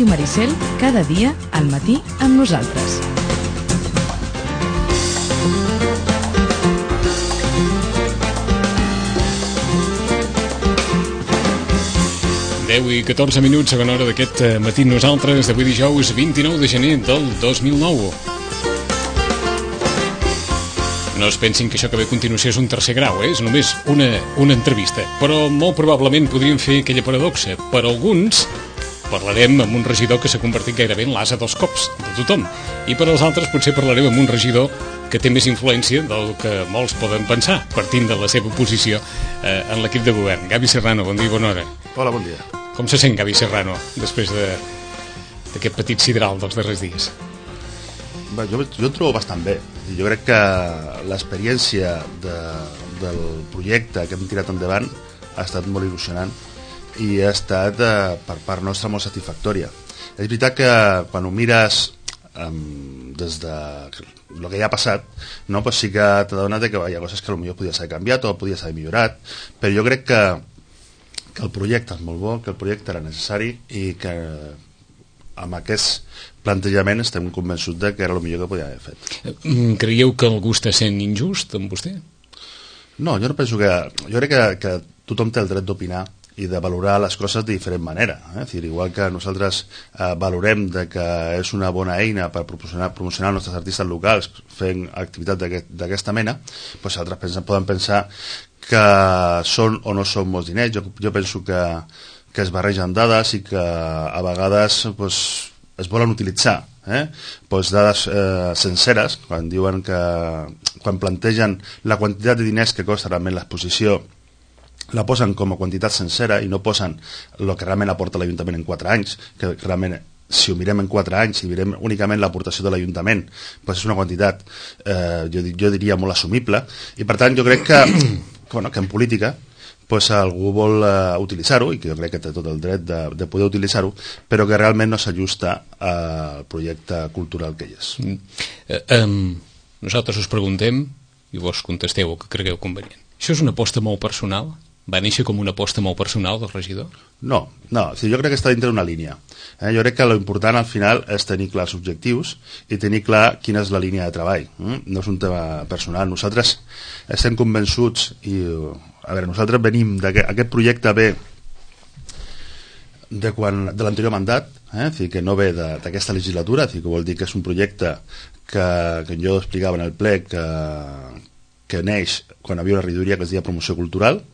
Ràdio Maricel, cada dia al matí amb nosaltres. I 14 minuts, segona hora d'aquest matí nosaltres, d'avui dijous 29 de gener del 2009. No es pensin que això que ve a continuació és un tercer grau, és només una entrevista. Però molt probablement podríem fer aquella paradoxa. Per alguns parlarem amb un regidor que s'ha convertit gairebé en l'as a dos cops de tothom. I per als altres potser parlarem amb un regidor que té més influència del que molts poden pensar, partint de la seva posició en l'equip de govern. Gavi Serrano, bon dia i bona hora. Hola, bon dia. Com se sent Gavi Serrano després d'aquest petit sidral dels darrers dies? Bé, jo em trobo bastant bé. Jo crec que l'experiència del projecte que hem tirat endavant ha estat molt il·lusionant i ha estat per part nostra molt satisfactòria. És veritat que quan ho mires des de el que ja ha passat, no, pues sí que t'adones que hi ha coses que potser podia ser canviat o podia ser millorat, però jo crec que el projecte és molt bo, que el projecte era necessari i que amb aquest plantejament estem convençuts que era el millor que podia haver fet. Creieu que algú està sent injust amb vostè? No, jo no penso que... Jo crec que tothom té el dret d'opinar i de valorar les coses de diferent manera. És dir, igual que nosaltres valorem que és una bona eina per promocionar els nostres artistes locals fent activitats d'aquesta mena, doncs altres poden pensar que són o no són molts diners. Jo penso que es barregen dades i que a vegades es volen utilitzar dades senceres quan plantegen la quantitat de diners que costa realment l'exposició, la posen com a quantitat sencera i no posen el que realment aporta l'Ajuntament en 4 anys, que realment si ho mirem en 4 anys, si mirem únicament l'aportació de l'Ajuntament, és una quantitat jo diria molt assumible, i per tant jo crec que en política algú vol utilitzar-ho, i que jo crec que té tot el dret de poder utilitzar-ho, però que realment no s'ajusta al projecte cultural que hi és. Nosaltres us preguntem i vos contesteu el que cregueu convenient. Això és una aposta molt personal? Va néixer com una aposta molt personal del regidor? No, jo crec que està dintre d'una línia. Jo crec que l'important al final és tenir clars objectius i tenir clar quina és la línia de treball. No és un tema personal. Nosaltres estem convençuts i, nosaltres venim d'aquest projecte ve de l'anterior mandat, que no ve d'aquesta legislatura, que vol dir que és un projecte que jo explicava en el ple que neix quan hi havia una regidoria que es deia Promoció Cultural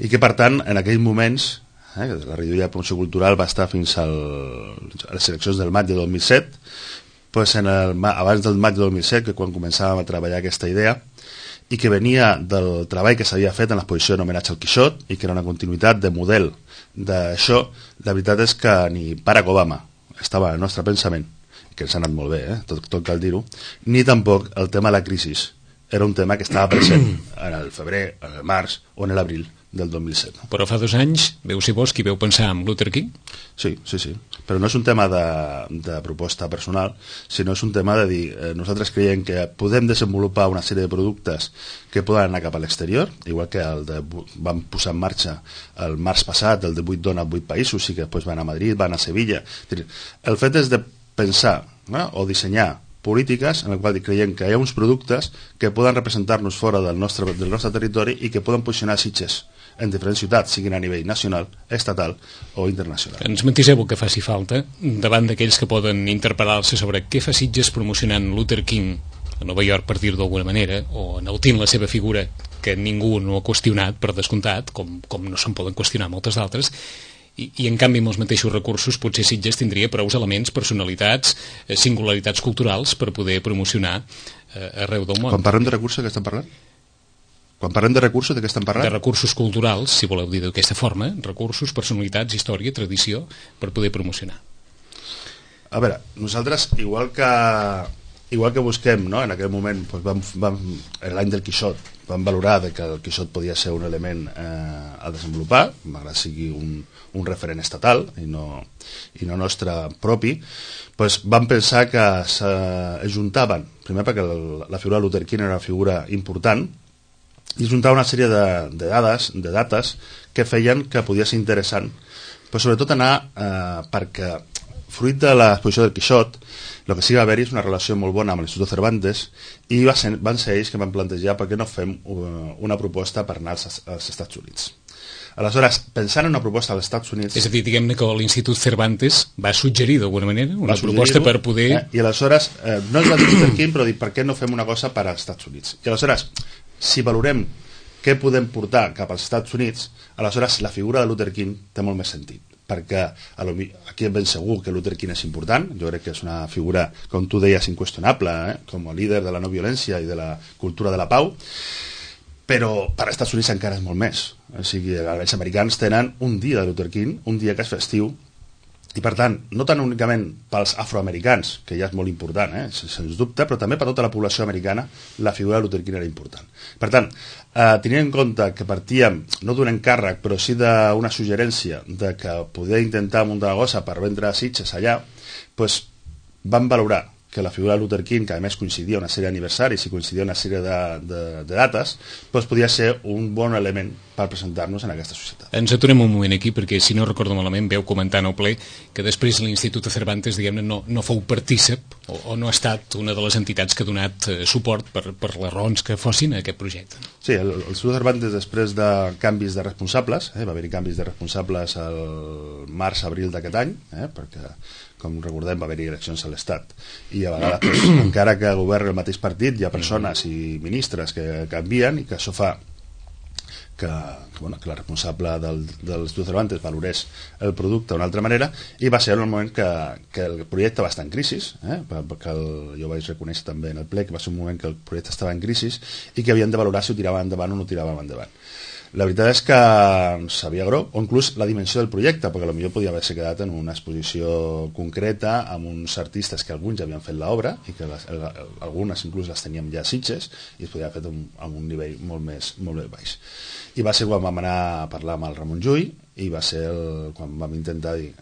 i que per tant en aquells moments la regidoria de Promoció Cultural va estar fins a les eleccions del maig de 2007, abans del maig de 2007 que quan començàvem a treballar aquesta idea i que venia del treball que s'havia fet en l'exposició d'homenatge al Quixot i que era una continuïtat de model d'això. La veritat és que ni Barack Obama estava en el nostre pensament, que ens ha anat molt bé, tot cal dir-ho, ni tampoc el tema de la crisi era un tema que estava present en el febrer, en el març o en l'abril del 2007. Però fa 2 anys veu ser vos qui veu pensar en Luther King? Sí, però no és un tema de proposta personal, sinó és un tema de dir, nosaltres creiem que podem desenvolupar una sèrie de productes que poden anar cap a l'exterior, igual que vam posar en marxa el març passat, el de 8 dones, 8 països, i que després van a Madrid, van a Sevilla. El fet és de pensar o dissenyar polítiques en el qual creiem que hi ha uns productes que poden representar-nos fora del nostre territori i que poden posicionar Sitges en diferents ciutats, siguin a nivell nacional, estatal o internacional. Ens matiseu el que faci falta davant d'aquells que poden interpel·lar-se sobre què fa Sitges promocionant Luther King a Nova York, per dir-ho d'alguna manera, o enaltint la seva figura, que ningú no ha qüestionat, per descomptat, com no se'n poden qüestionar moltes d'altres, i en canvi amb els mateixos recursos potser Sitges tindria prou elements, personalitats, singularitats culturals per poder promocionar arreu del món. Quan parlem de recursos, de què estem parlant? Quan parlem de recursos, de què estem parlant? De recursos culturals, si voleu dir d'aquesta forma, recursos, personalitats, història, tradició, per poder promocionar. A veure, nosaltres, igual que busquem, no? En aquell moment, en l'any del Quixot, vam valorar que el Quixot podia ser un element a desenvolupar, malgrat sigui un referent estatal i no nostre propi, vam pensar que s'ajuntaven, primer perquè la figura de Luther King era una figura important, i juntava una sèrie de dates que feien que podia ser interessant, però sobretot anar perquè fruit de l'exposició del Quixot, el que sí va haver-hi és una relació molt bona amb l'Institut Cervantes i van ser ells que van plantejar per què no fem una proposta per anar als Estats Units. Aleshores, pensant en una proposta als Estats Units... És a dir, diguem-ne que l'Institut Cervantes va suggerir d'alguna manera una proposta per poder... I aleshores, no ens va dir Luther King, però dir per què no fem una cosa per als Estats Units. I aleshores, si valorem què podem portar cap als Estats Units, aleshores la figura de Luther King té molt més sentit, perquè aquí ben segur que Luther King és important, jo crec que és una figura, com tu deies, inqüestionable, com a líder de la no violència i de la cultura de la pau, però per als Estats Units encara és molt més. O sigui, els americans tenen un dia de Luther King, un dia que és festiu, i per tant, no tan únicament pels afroamericans, que ja és molt important, sens dubte, però també per tota la població americana la figura de Luther King era important. Per tant, tenint en compte que partíem no d'un encàrrec, però sí d'una suggerència de que poder intentar muntar una cosa per vendre sitges allà, doncs vam valorar que la figura de Luther King, que a més coincidia una sèrie d'aniversaris i coincidia una sèrie de dates, doncs podia ser un bon element per presentar-nos en aquesta societat. Ens aturem un moment aquí, perquè si no recordo malament veu comentar en el ple que després l'Institut Cervantes, diguem-ne, no fou partícip o no ha estat una de les entitats que ha donat suport per les raons que fossin a aquest projecte. Sí, l'Institut Cervantes, després de canvis de responsables, va haver-hi canvis de responsables al març-abril d'aquest any, perquè com recordem va haver-hi eleccions a l'Estat i a vegades, encara que governa el mateix partit, hi ha persones i ministres que canvien i que això fa que la responsable de l'Institut Cervantes valorés el producte d'una altra manera, i va ser en el moment que el projecte va estar en crisi, perquè jo vaig reconèixer també en el ple que va ser un moment que el projecte estava en crisi i que havien de valorar si ho tiraven endavant o no ho tiraven endavant. La veritat és que sabia greu, o inclús la dimensió del projecte, perquè potser podia haver-se quedat en una exposició concreta amb uns artistes que alguns ja havien fet l'obra i que algunes inclús les teníem ja a Sitges i es podia haver fet amb un nivell molt més baix. I va ser quan vam anar a parlar amb el Ramon Llull i va ser quan vam intentar dir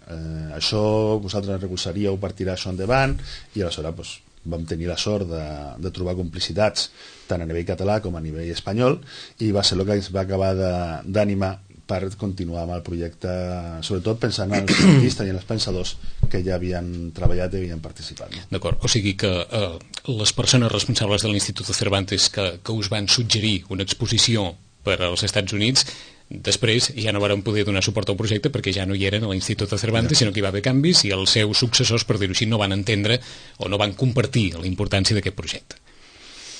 això vosaltres recolzaríeu per tirar això endavant, i aleshores vam tenir la sort de trobar complicitats tant a nivell català com a nivell espanyol, i va ser el que ens va acabar d'animar per continuar amb el projecte, sobretot pensant en els artistes i en els pensadors que ja havien treballat i havien participat. D'acord, o sigui que les persones responsables de l'Institut Cervantes que us van suggerir una exposició per als Estats Units, després ja no varen poder donar suport al projecte perquè ja no hi eren a l'Institut Cervantes, sinó que hi va haver canvis i els seus successors, per dir-ho així, no van entendre o no van compartir la importància d'aquest projecte.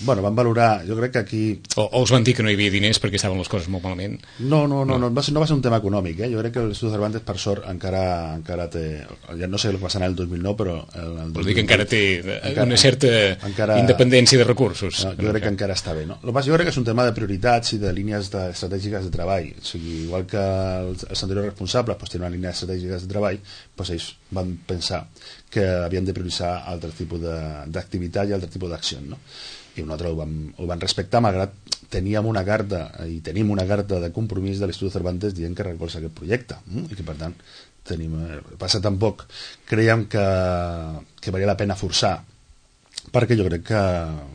Bueno, van valorar, jo crec que aquí... O us van dir que no hi havia diners perquè estaven les coses molt malament? No va ser un tema econòmic. Jo crec que l'Institut Cervantes, per sort, encara té... Ja no sé el que passarà el 2009, però... Vols dir que encara té una certa independència de recursos. Jo crec que encara està bé. No? Jo crec que és un tema de prioritats i de línies estratègiques de treball. O sigui, igual que els anteriors responsables tenen una línia estratègiques de treball, ells van pensar que havien de prioritzar altre tipus d'activitat i altre tipus d'acció, no? I nosaltres ho van respectar, malgrat teníem una carta i tenim una carta de compromís de l'Institut Cervantes dient que recolza aquest projecte, i que per tant passa tampoc creiem que valia la pena forçar, perquè jo crec que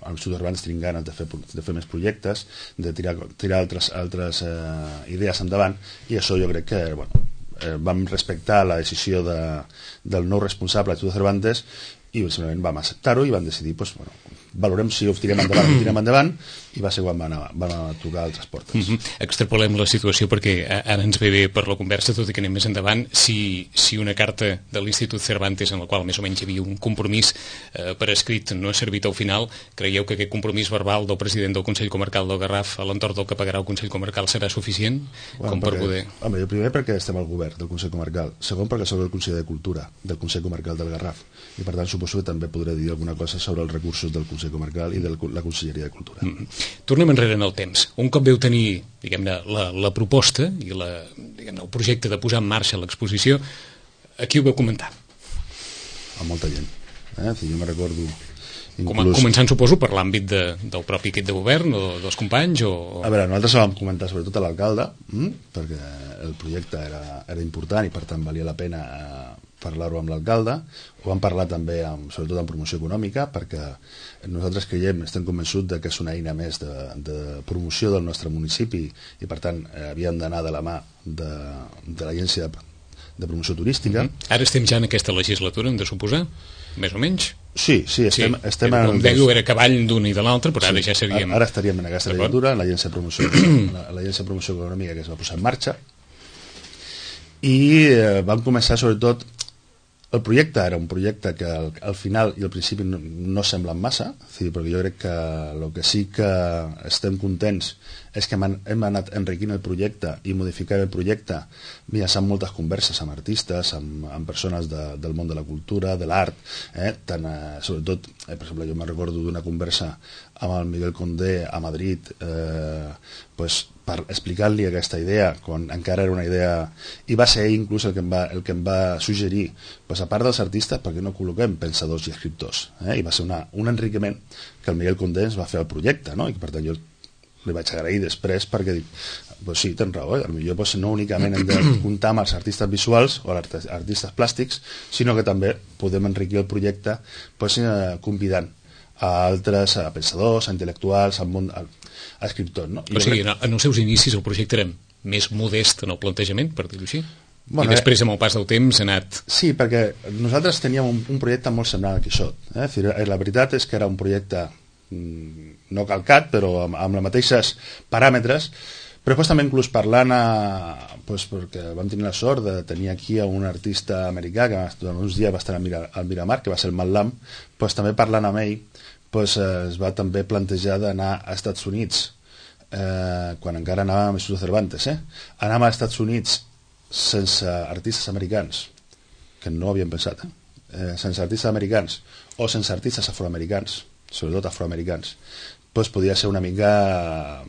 l'Institut Cervantes tenim ganes de fer més projectes, de tirar altres idees endavant, i això jo crec que vam respectar la decisió del nou responsable de l'Institut Cervantes i simplement vam acceptar-ho i vam decidir valorem si ho tirem endavant, i va ser quan van a tocar altres portes. Extrapolem la situació perquè ara ens ve bé per la conversa, tot i que anem més endavant. Si una carta de l'Institut Cervantes en la qual més o menys hi havia un compromís per escrit no ha servit al final, creieu que aquest compromís verbal del president del Consell Comarcal del Garraf a l'entorn del que pagarà el Consell Comarcal serà suficient per poder... Home, primer perquè estem al govern del Consell Comarcal, segon perquè soc el conseller de Cultura del Consell Comarcal del Garraf, i per tant suposo que també podré dir alguna cosa sobre els recursos del Consell Comarcal i de la Conselleria de Cultura. Tornem enrere en el temps. Un cop veu tenir, diguem-ne, la proposta i el projecte de posar en marxa l'exposició, a qui ho vau comentar? A molta gent. Jo me recordo... Començant, suposo, per l'àmbit del propi equip de govern o dels companys? A veure, nosaltres ho vam comentar sobretot a l'alcalde, perquè el projecte era important i per tant valia la pena parlar-ho amb l'alcalde. Ho vam parlar també sobretot en promoció econòmica, perquè nosaltres estem convençuts que és una eina més de promoció del nostre municipi i per tant havíem d'anar de la mà de l'agència de promoció turística. Ara estem ja en aquesta legislatura, hem de suposar, més o menys? Sí, estem en... Com deia, era cavall d'un i de l'altre, però ara ja seríem... Ara estaríem en aquesta legislatura, en l'Agència de Promoció Econòmica que es va posar en marxa, i vam començar sobretot... El projecte era un projecte que al final i al principi no semblen massa, perquè jo crec que el que sí que estem contents és que hem anat enriquint el projecte i modificant el projecte mitjançant moltes converses amb artistes, amb persones del món de la cultura, de l'art, sobretot, per exemple, jo me recordo d'una conversa amb el Miguel Condé a Madrid, per explicar-li aquesta idea, quan encara era una idea, i va ser ell inclús el que em va suggerir, a part dels artistes, perquè no col·loquem pensadors i escriptors, i va ser un enriquiment que el Miguel Condé ens va fer al projecte, i que per tant jo li vaig agrair després perquè dic, sí, tens raó, potser no únicament hem de comptar amb els artistes visuals o els artistes plàstics, sinó que també podem enriquir el projecte convidant a altres pensadors, a intel·lectuals, al món, a escriptors. O sigui, en els seus inicis el projecte era més modest en el plantejament, per dir-ho així? I després, amb el pas del temps, ha anat... Sí, perquè nosaltres teníem un projecte molt semblant al Quixot. La veritat és que era un projecte no calcat, però amb els mateixos paràmetres, però després també inclús parlant perquè vam tenir la sort de tenir aquí un artista americà que durant uns dies va estar al Miramar, que va ser el Matt Lam, també parlant amb ell es va també plantejar d'anar als Estats Units, quan encara anàvem a l'Institut Cervantes, anàvem als Estats Units sense artistes americans, que no ho havíem pensat, sense artistes americans o sense artistes afroamericans, sobretot afroamericans, podia ser una mica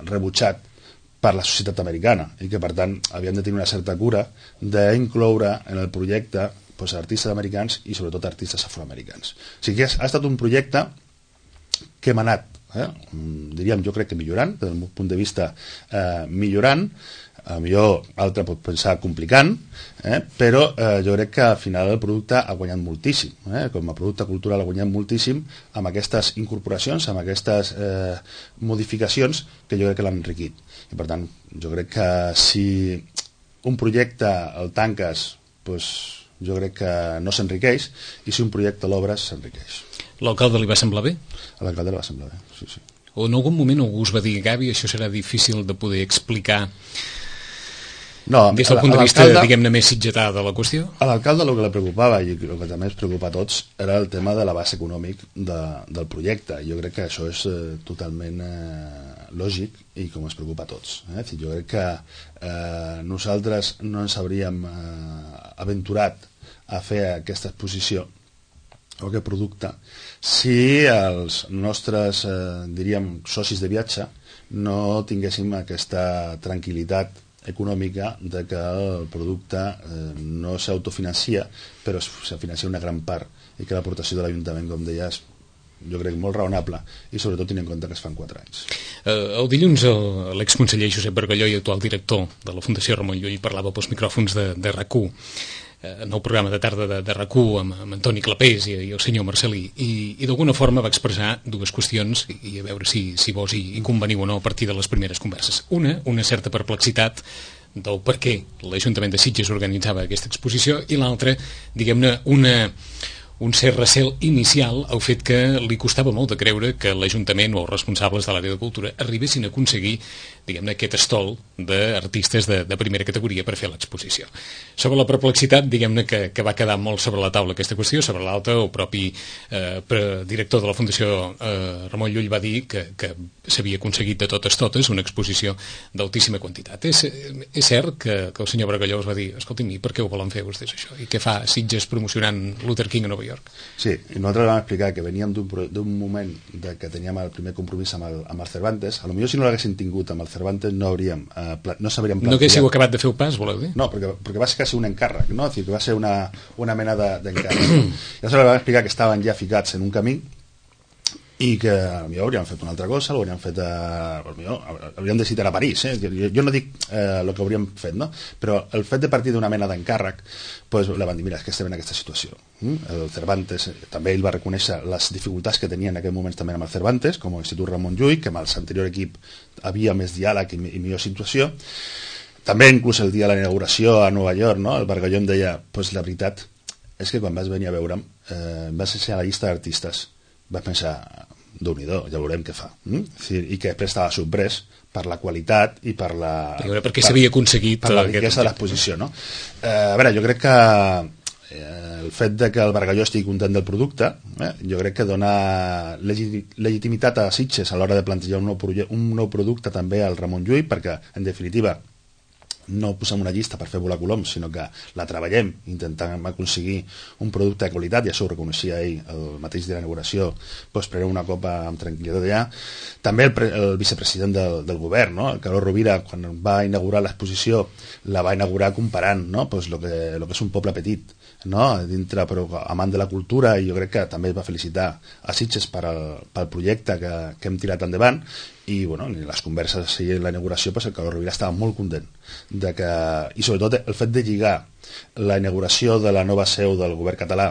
rebutjat per la societat americana i que per tant havíem de tenir una certa cura d'incloure en el projecte artistes americans i sobretot artistes afroamericans. O sigui que ha estat un projecte que hem anat, diríem, jo crec que millorant, des del meu punt de vista millorant, millor altre pot pensar complicant, però jo crec que al final el producte ha guanyat moltíssim, com a producte cultural ha guanyat moltíssim amb aquestes incorporacions, amb aquestes modificacions que jo crec que l'han enriquit. I per tant, jo crec que si un projecte el tanques, jo crec que no s'enriqueix, i si un projecte l'obres s'enriqueix. L'alcalde li va semblar bé? A l'alcalde li va semblar bé, sí. O en algun moment algú us va dir, Gavi, això serà difícil de poder explicar des del punt de vista, diguem-ne, més sitgetà de la qüestió? A l'alcalde el que li preocupava, i el que també ens preocupa a tots, era el tema de l'abast econòmic del projecte. Jo crec que això és totalment lògic i com ens preocupa a tots. Jo crec que nosaltres no ens hauríem aventurat a fer aquesta exposició o aquest producte si els nostres, diríem, socis de viatge no tinguéssim aquesta tranquil·litat econòmica de que el producte no s'autofinancia, però se financia una gran part i que l'aportació de l'Ajuntament, com deies, jo crec molt raonable i sobretot tenint en compte que es fan 4 anys. El dilluns l'exconseller Josep Bargalló i actual director de la Fundació Ramon Llull parlava pels micròfons de RAC1 en el programa de tarda de RAC1 amb Antoni Clapés i el senyor Marcelí, i d'alguna forma va expressar dues qüestions i a veure si vos hi conveniu o no a partir de les primeres converses. Una certa perplexitat del per què l'Ajuntament de Sitges organitzava aquesta exposició, i l'altra, diguem-ne, un cert recel inicial al fet que li costava molt de creure que l'Ajuntament o els responsables de l'àrea de cultura arribessin a aconseguir, diguem-ne, aquest estol d'artistes de primera categoria per fer l'exposició. Sobre la perplexitat, diguem-ne, que va quedar molt sobre la taula aquesta qüestió. Sobre l'altra, el propi director de la Fundació Ramon Llull va dir que s'havia aconseguit de totes una exposició d'altíssima quantitat. És cert que el senyor Bargalló us va dir, escolti'm, i per què ho volen fer vostès això? I què fa Sitges promocionant Luther King a Nova York? Sí, i nosaltres vam explicar que veníem d'un moment que teníem el primer compromís amb el Cervantes. A lo millor si no l'haguessin tingut amb el Cervantes no s'hauríem plantejat. No haguéssiu acabat de fer el pas, voleu dir? No, perquè va ser quasi un encàrrec, no? És a dir, que va ser una mena d'encàrrec. I aleshores vam explicar que estaven ja ficats en un camí i que potser hauríem fet una altra cosa, hauríem decidit anar a París, jo no dic el que hauríem fet, no? Però el fet de partir d'una mena d'encàrrec, la van dir, mira, és que estem en aquesta situació. El Cervantes, també ell va reconèixer les dificultats que tenia en aquell moment també amb el Cervantes, com a Institut Ramon Llull, que amb el anterior equip havia més diàleg i millor situació. també inclús el dia de la inauguració a Nova York, no? El Bargalló em deia, pues la veritat és que quan vas venir a veure'm vas ser a la llista d'artistes, vas pensar, Déu-n'hi-do, ja veurem què fa. I que després estava sorprès per la qualitat i per la... Perquè s'havia aconseguit... Per la riquesa de l'exposició, no? A veure, jo crec que el fet de que el Bargalló estigui content del producte, jo crec que dona legitimitat a Sitges a l'hora de plantejar un nou producte també al Ramon Llull, perquè, en definitiva, no posem una llista per fer volar coloms, sinó que la treballem intentant aconseguir un producte de qualitat, i això ho reconeixia ell el mateix dia de l'inauguració, doncs preneu una copa amb tranquil·litat allà. També el vicepresident del govern, no? El Carlos Rovira, quan va inaugurar l'exposició, la va inaugurar comparant, no? Pues lo que és un poble petit, no? Dintre, però amant de la cultura, i jo crec que també es va felicitar a Sitges pel projecte que hem tirat endavant. I bueno, en les converses i en la inauguració, pues el Carlos Rovira estava molt content de que, i sobretot el fet de lligar la inauguració de la nova seu del govern català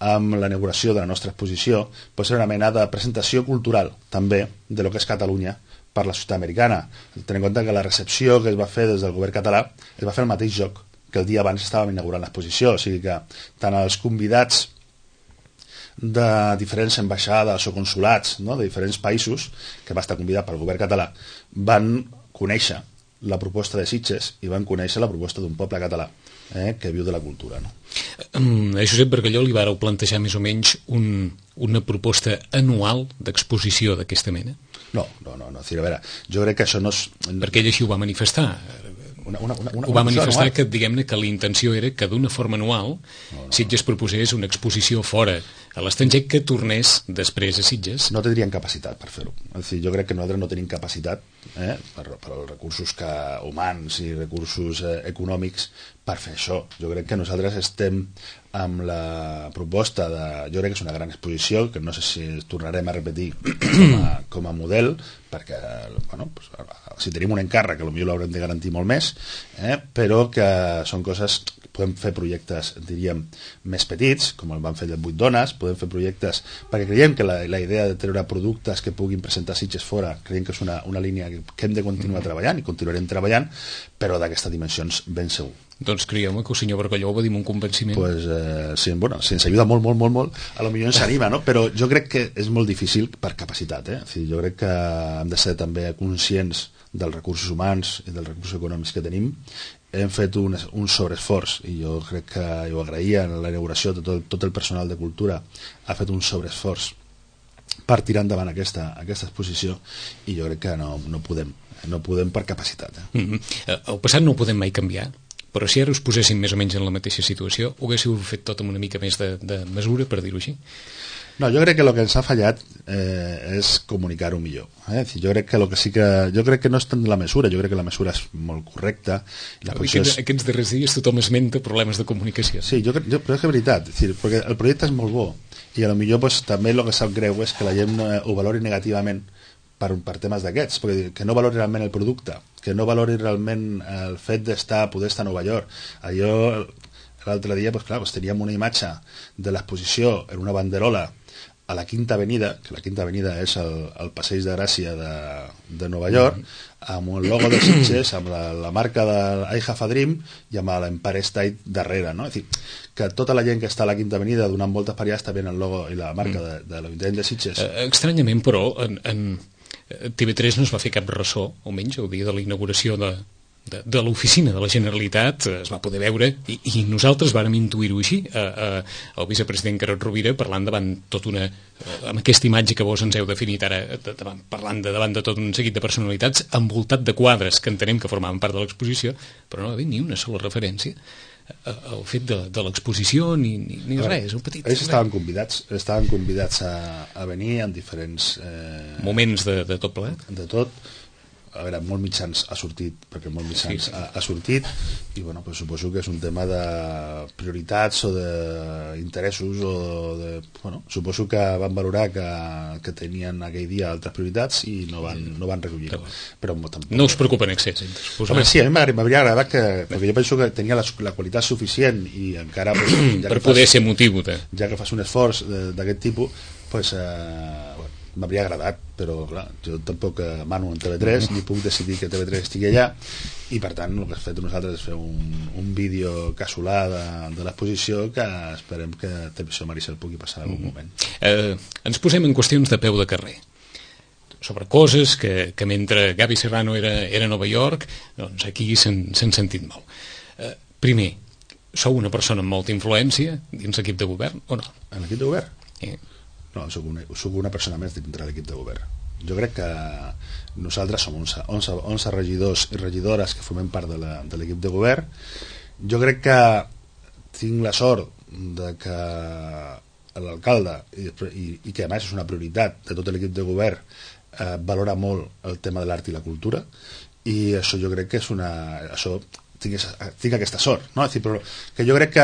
amb la inauguració de la nostra exposició, pues era una mena de presentació cultural també de lo que és Catalunya per la societat americana. Tenint en compte que la recepció que es va fer des del govern català es va fer el mateix joc que el dia abans estàvem inaugurant l'exposició, o sigui que tant els convidats de diferents ambaixades o consulats, no?, de diferents països, que va estar convidat pel govern català, van conèixer la proposta de Sitges i van conèixer la proposta d'un poble català que viu de la cultura, no? A Josep Bargalló li vareu plantejar més o menys una proposta anual d'exposició d'aquesta mena? No, a veure, jo crec que això no és... Perquè ell així ho va manifestar. Ho va manifestar que, diguem-ne, que la intenció era que d'una forma anual Sitges proposés una exposició fora a l'estranger que tornés després a Sitges. No tindrien capacitat per fer-ho. És dir, jo crec que nosaltres no tenim capacitat per els recursos humans i recursos econòmics per fer això. Jo crec que nosaltres estem amb la proposta de... Jo crec que és una gran exposició, que no sé si tornarem a repetir com a model, perquè bueno, pues, si tenim un encàrrec, potser l'haurem de garantir molt més, però que són coses... Podem fer projectes, diríem, més petits, com el van fer de 8 dones, podem fer projectes... Perquè creiem que la idea de treure productes que puguin presentar Sitges fora, creiem que és una línia que hem de continuar treballant, i continuarem treballant, però d'aquestes dimensions ben segur. Doncs creieu-me que el senyor Bargalló ho va dir amb un convenciment. Pues, sí, bueno, si ens ajuda molt, a lo millor ens anima, no? Però jo crec que és molt difícil per capacitat, O sigui, jo crec que hem de ser també conscients dels recursos humans i dels recursos econòmics que tenim. Hem fet un sobreesforç, i jo crec que ho agraïa en la inauguració, tot el personal de cultura ha fet un sobreesforç per tirar endavant aquesta exposició, i jo crec que no podem per capacitat. El passat no ho podem mai canviar, però si ara us poséssim més o menys en la mateixa situació, ho haguéssiu fet tot amb una mica més de mesura, per dir-ho així? No, jo crec que el que ens ha fallat és comunicar-ho millor. Jo crec que no és tant la mesura, jo crec que la mesura és molt correcta. Aquests darrers dies tothom esmenta problemes de comunicació. Sí, però és que és veritat, perquè el projecte és molt bo, i potser pues, també el que sap greu és que la gent ho valori negativament per temes d'aquests, perquè que no valori realment el producte, que no valori realment el fet poder estar a Nova York. Allò, l'altre dia, pues, clar, teníem una imatge de l'exposició en una banderola a la Quinta Avenida, que la Quinta Avenida és el Passeig de Gràcia de Nova York, amb el logo de Sitges, amb la marca de I Have a Dream i amb l'Empire State darrere, no? És dir, que tota la gent que està a la Quinta Avenida donant voltes per allà està veient el logo i la marca de l'Ajuntament de Sitges. Estranyament, però, en TV3 no es va fer cap ressò, almenys el dia de la inauguració de l'oficina de la Generalitat es va poder veure, i nosaltres vàrem intuir-ho així, el vicepresident Carod Rovira parlant amb aquesta imatge que vos ens heu definit ara, parlant davant de tot un seguit de personalitats envoltat de quadres que entenem que formaven part de l'exposició, però no va haver ni una sola referència al fet de l'exposició ni res, un petit... Ells estaven convidats a venir en diferents moments de tot plegat, de tot. A veure, molt mitjans ha sortit, perquè molt mitjans ha sortit, i bueno, pues suposo que és un tema de prioritats o d'interessos, suposo que van valorar que tenien aquell dia altres prioritats i no van recollir. Però no us preocupa en excés. Home, sí, a mi m'hauria agradat perquè jo penso que tenia la qualitat suficient i encara... per poder ser motiu. Ja que fas un esforç d'aquest tipus, pues, m'hauria agradat, però clar, jo tampoc mano en TV3 ni puc decidir que TV3 estigui allà, i per tant el que hem fet nosaltres és fer un vídeo casolà de l'exposició, que esperem que Televisió Maricel pugui passar en algun moment. Ens posem en qüestions de peu de carrer, sobre coses que mentre Gaby Serrano era a Nova York, doncs aquí s'han sentit molt. Primer, sou una persona amb molta influència dins l'equip de govern o no? En l'equip de govern? No, soc una persona més dintre l'equip de govern. Jo crec que nosaltres som 11 regidors i regidores que formem part de l'equip de govern. Jo crec que tinc la sort de que l'alcalde, i que a més és una prioritat de tot l'equip de govern, valora molt el tema de l'art i la cultura, i això jo crec que és tinc aquesta sort, no? És dir, però que jo crec que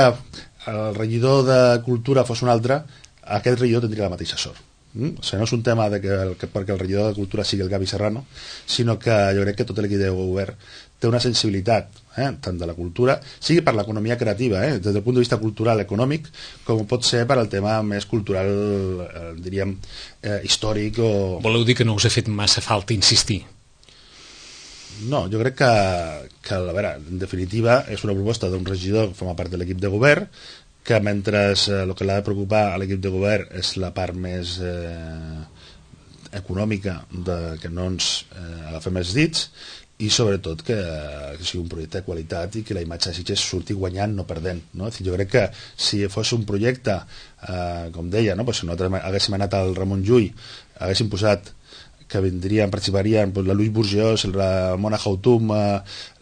el regidor de cultura fos un altre, aquest regidor tindria la mateixa sort. O sigui, no és un tema perquè el regidor de cultura sigui el Gaby Serrano, sinó que jo crec que tot l'equip de govern té una sensibilitat, tant de la cultura, sigui per l'economia creativa, des del punt de vista cultural, econòmic, com pot ser per al tema més cultural, diríem, històric. Voleu dir que no us ha fet massa falta insistir? No, jo crec que a veure, en definitiva, és una proposta d'un regidor que forma part de l'equip de govern, que mentre el que l'ha de preocupar a l'equip de govern és la part més econòmica, que no ens agafem els dits, i sobretot que sigui un projecte de qualitat i que la imatge de Sitges surti guanyant, no perdent, no? Jo crec que si fos un projecte, com deia, no? Si nosaltres haguéssim anat al Ramon Llull, haguéssim posat que participarien la Luis Bourgeois, la Mona Houtum,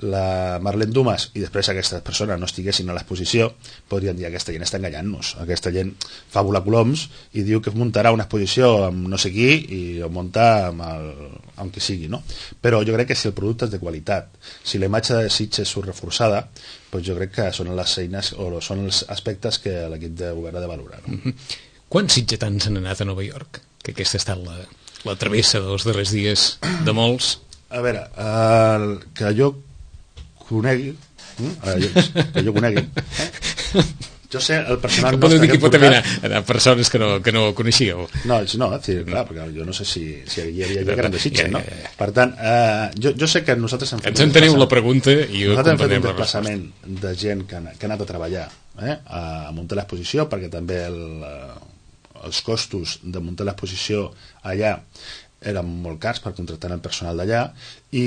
la Marlene Dumas, i després aquestes persones no estiguessin a l'exposició, podrien dir: aquesta gent està enganyant-nos, aquesta gent fa volar coloms i diu que muntarà una exposició amb no sé qui i ho munta amb qui sigui, no? Però jo crec que si el producte és de qualitat, si la imatge de Sitges surt reforçada, doncs jo crec que són les eines o són els aspectes que l'equip de govern ha de valorar, no? Quants sitgetans han anat a Nova York? Que aquesta ha estat la travessa dels darrers dies de molts. A veure, que jo conegui, jo sé el personal que nostre que hi pot haver anar persones que no coneixíeu. No, és dir, clar, perquè jo no sé si hi havia gent que eren de Sitges, no? Per tant, jo sé que nosaltres hem fet... Ens enteneu la pregunta i nosaltres hem fet un desplaçament de gent que ha anat a treballar a muntar l'exposició, perquè també els costos de muntar l'exposició allà eren molt cars per contractar el personal d'allà, i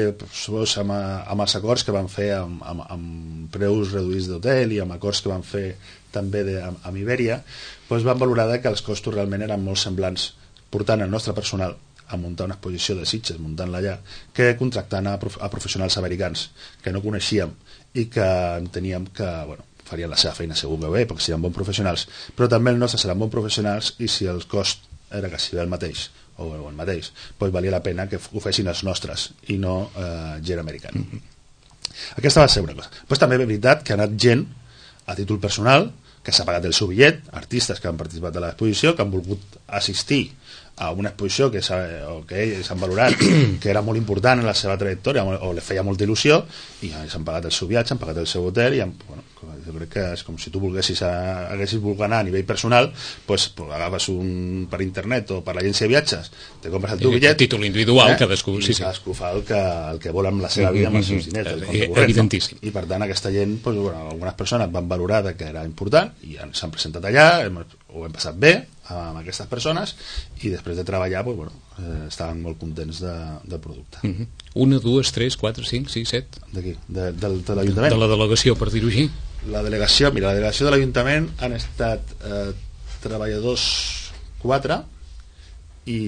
amb els acords que van fer amb preus reduïts d'hotel i amb acords que van fer també amb Iberia, doncs van valorar que els costos realment eren molt semblants portant el nostre personal a muntar una exposició de Sitges, muntant-la allà, que contractant a professionals americans que no coneixíem i que enteníem que, bueno, farien la seva feina segur que bé, perquè serien bons professionals, però també els nostres seran bons professionals, i si el cost era quasi el mateix, doncs valia la pena que ho fessin els nostres i no gent americana. Aquesta va ser una cosa. Però també és veritat que ha anat gent a títol personal, que s'ha pagat el seu bitllet, artistes que han participat a l'exposició, que han volgut assistir a una exposició que ells han valorat que era molt important en la seva trajectòria o li feia molta il·lusió, i s'han pagat el seu viatge, han pagat el seu hotel, i jo crec que és com si tu haguessis volgut anar a nivell personal, doncs agafes per internet o per l'agència de viatges, te compres el teu bitllet, títol individual, cadascú fa el que vol amb la seva vida, amb els seus diners, evidentíssim. I per tant aquesta gent, algunes persones van valorar que era important i s'han presentat allà, ho hem passat bé amb aquestes persones, i després de treballar estaven molt contents del producte. 1, 2, 3, 4, 5, 6, 7 d'aquí, de l'Ajuntament, de la delegació, per dir-ho així. La delegació de l'Ajuntament han estat treballadors 4 i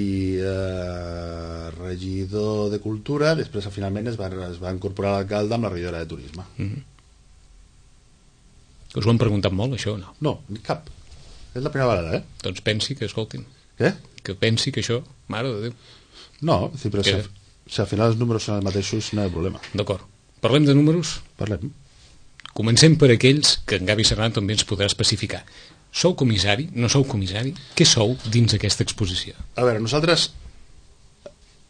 regidor de Cultura. Després finalment es va incorporar l'alcalde amb la regidora de Turisme. Us ho han preguntat molt, això, o no? No, cap. És la primera vegada, Doncs pensi que, escoltin, què? Que pensi que això, mare de Déu. No, però si al final els números són els mateixos, no hi ha problema. D'acord. Parlem de números? Parlem. Comencem per aquells que en Gaby Serrano també ens podrà especificar. Sou comissari? No sou comissari? Què sou dins aquesta exposició? A veure, nosaltres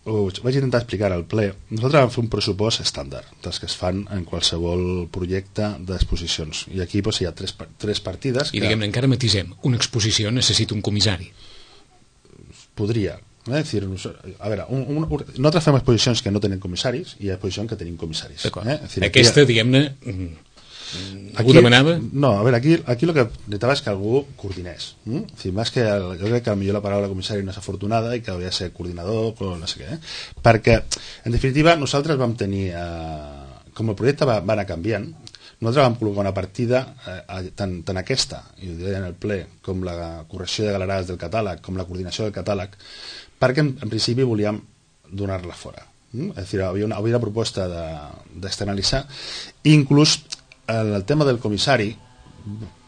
vaig intentar explicar al ple. Nosaltres vam fer un pressupost estàndard dels que es fan en qualsevol projecte d'exposicions, i aquí hi ha tres partides i diguem-ne, encara matisem, una exposició necessita un comissari. Podria. Decir, a veure, nosaltres fem exposicions que no tenen comissaris i exposicions que tenim comissaris. Decir, aquesta, diguem-ne, algú demanava? No, a veure, aquí el que necessitava és que algú coordinés. Decir, més que jo crec que potser la paraula comissari no és afortunada i que hauria de ser coordinador o no sé què. Perquè, en definitiva, nosaltres vam tenir... com el projecte va anar canviant, nosaltres vam col·locar una partida, tant aquesta, i ho diré en el ple, com la correcció de galerades del catàleg, com la coordinació del catàleg, perquè en principi volíem donar-la fora. És a dir, havia una proposta d'externalitzar, i inclús el tema del comissari,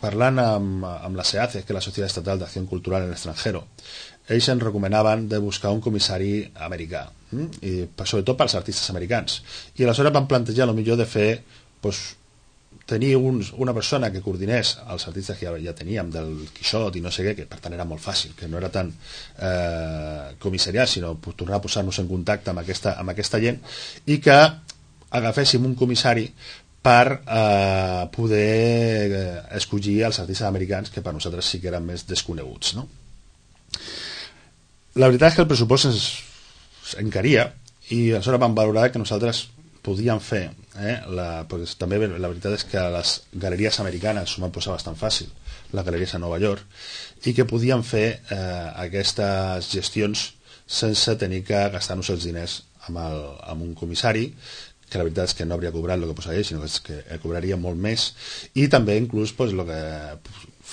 parlant amb la SEACE, que és la Societat Estatal d'Acció Cultural en l'Estrangero, ells ens recomanaven de buscar un comissari americà, i sobretot pels artistes americans. I aleshores van plantejar millor de fer, tenir una persona que coordinés els artistes que ja teníem, del Quixot i no sé què, que per tant era molt fàcil, que no era tan comissariat, sinó tornar a posar-nos en contacte amb aquesta gent, i que agaféssim un comissari per poder escollir els artistes americans que per nosaltres sí que eren més desconeguts, no? La veritat és que el pressupost ens encaria i aleshores vam valorar que nosaltres podíem fer, perquè també la veritat és que a les galeries americanes s'ho van posar bastant fàcil, les galeries a Nova York, i que podíem fer aquestes gestions sense tenir que gastar-nos els diners amb un comissari, que la veritat és que no hauria cobrat el que posaria ell, sinó que cobraria molt més, i també inclús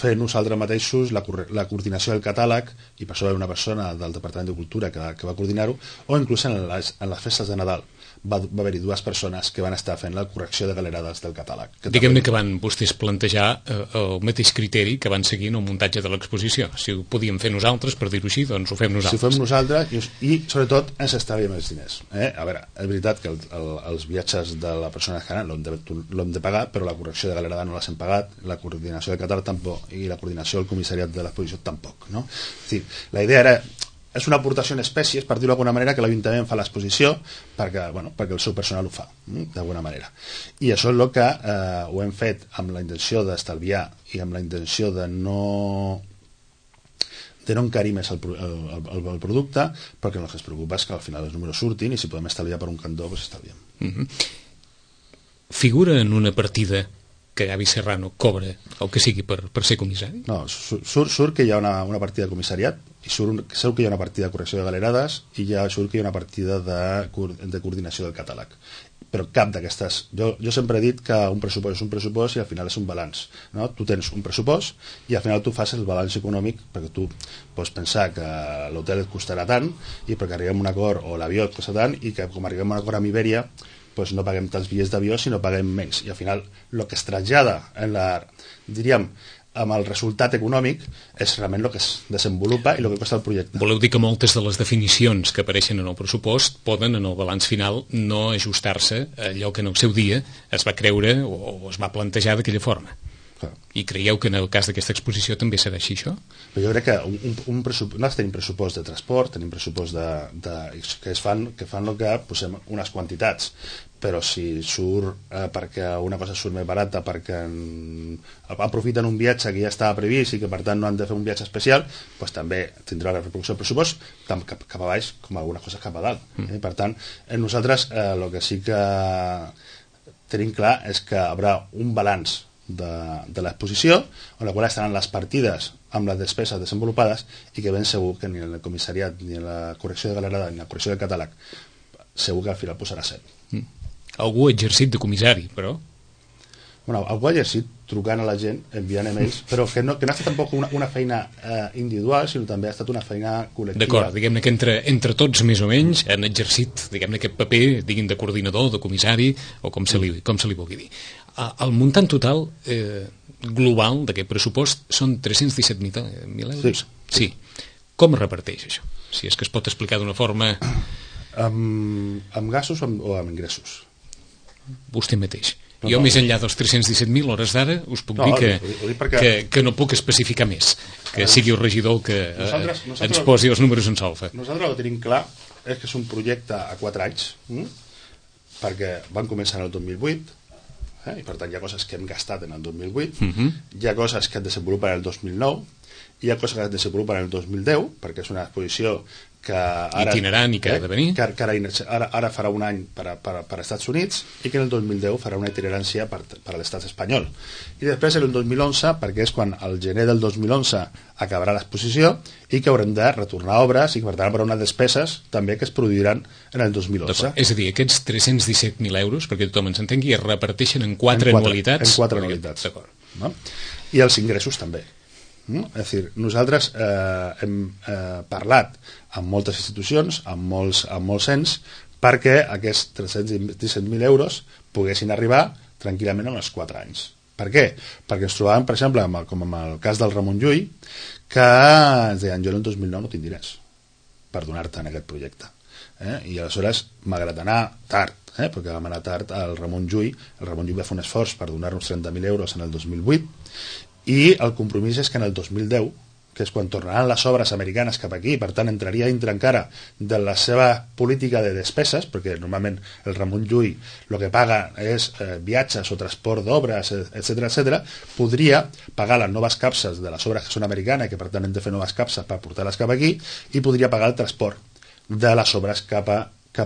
fer nosaltres mateixos la coordinació del catàleg, i per això va haver una persona del Departament de Cultura que va coordinar-ho, o inclús en les festes de Nadal va haver-hi dues persones que van estar fent la correcció de galerades del catàleg. Diguem-ne que van vostès plantejar el mateix criteri que van seguir en el muntatge de l'exposició. Si ho podíem fer nosaltres, per dir-ho així, doncs ho fem nosaltres. Si ho fem nosaltres, i sobretot ens estalviem els diners. A veure, és veritat que els viatges de la persona que l'hem de pagar, però la correcció de galerada no les hem pagat, la coordinació del catàleg tampoc, i la coordinació del comissariat de l'exposició tampoc, no? La idea era... És una aportació en espècies, per dir-ho d'alguna manera, que l'Ajuntament fa l'exposició perquè el seu personal ho fa, d'alguna manera. I això és el que ho hem fet amb la intenció d'estalviar i amb la intenció de no encarir més el producte, perquè el que es preocupa és que al final els números surtin i si podem estalviar per un cantó, doncs estalviem. Figura en una partida que Gavi Serrano cobra el que sigui per ser comissari? No, surt que hi ha una partida de comissariat, i surt que hi ha una partida de correcció de galerades, i surt que hi ha una partida de coordinació del catàleg. Però cap d'aquestes... Jo sempre he dit que un pressupost és un pressupost i al final és un balanç, no? Tu tens un pressupost i al final tu fas el balanç econòmic, perquè tu pots pensar que l'hotel et costarà tant i perquè arribem a un acord, o l'avió et costa tant, i que com arribem a un acord amb Iberia doncs no paguem tants bitllets d'avió, sinó paguem menys, i al final el que es trasllada diríem, amb el resultat econòmic és realment el que es desenvolupa i el que costa el projecte. Voleu dir que moltes de les definicions que apareixen en el pressupost poden en el balanç final no ajustar-se a allò que en el seu dia es va creure o es va plantejar d'aquella forma? Clar. I creieu que en el cas d'aquesta exposició també serà així això? Però jo crec que nosaltres tenim pressupost de transport, tenim pressupost que fan el que posem unes quantitats, però si surt perquè una cosa surt més barata, perquè aprofiten un viatge que ja estava previst i que per tant no han de fer un viatge especial, doncs també tindrà la repercussió del pressupost tant cap a baix com algunes coses cap a dalt. Per tant, nosaltres el que sí que tenim clar és que hi haurà un balanç de l'exposició, on la qual estaran les partides amb les despeses desenvolupades, i que ben segur que ni en el comissariat, ni en la correcció de galerada, ni en la correcció del catàleg, segur que al final posarà 7. Algú ha exercit de comissari, però? Bueno, algú ha exercit trucant a la gent, enviant emails, però que no ha estat tampoc una feina individual, sinó també ha estat una feina col·lectiva. D'acord, diguem-ne que entre tots més o menys han exercit, diguem-ne, aquest paper, diguin, de coordinador, de comissari, o com se li vulgui dir. El muntant total global d'aquest pressupost són 317.000 euros? Sí. Com es reparteix això? Si és que es pot explicar d'una forma... Amb gastos o amb ingressos? Vostè mateix. Jo, més enllà dels 317.000 hores d'ara, us puc dir que no puc especificar més, que sigui el regidor que ens posi els números en solfa. Nosaltres el que tenim clar és que és un projecte a 4 anys, perquè van començar en el 2008, i per tant hi ha coses que hem gastat en el 2008, hi ha coses que es desenvolupen en el 2009, hi ha coses que es desenvolupen en el 2010, perquè és una exposició que ara, itinerant i que ha de venir, que ara farà un any per als Estats Units, i que en el 2010 farà una itinerància per a l'estat espanyol, i després en el 2011, perquè és quan al gener del 2011 acabarà l'exposició i que haurem de retornar obres i que per tant hi haurà unes despeses també que es produiran en el 2011. És a dir, aquests 317.000 euros, perquè tothom ens entengui, es reparteixen en quatre anualitats. En 4 anualitats. No? I els ingressos també. És a dir, nosaltres hem parlat amb moltes institucions, amb molts ens, perquè aquests 317.000 euros poguessin arribar tranquil·lament en els 4 anys. Per què? Perquè ens trobàvem, per exemple, com en el cas del Ramon Llull, que ens deien, jo en el 2009 no tinc diners per donar-te en aquest projecte. I aleshores, malgrat anar tard, perquè vam anar tard al Ramon Llull, el Ramon Llull va fer un esforç per donar-nos 30.000 euros en el 2008, i el compromís és que en el 2010, que és quan tornaran les obres americanes cap aquí, per tant entraria dintre encara de la seva política de despeses, perquè normalment el Ramon Llull el que paga és viatges o transport d'obres, etc., podria pagar les noves capses de les obres que són americanes, que per tant hem de fer noves capses per portar-les cap aquí, i podria pagar el transport de les obres cap a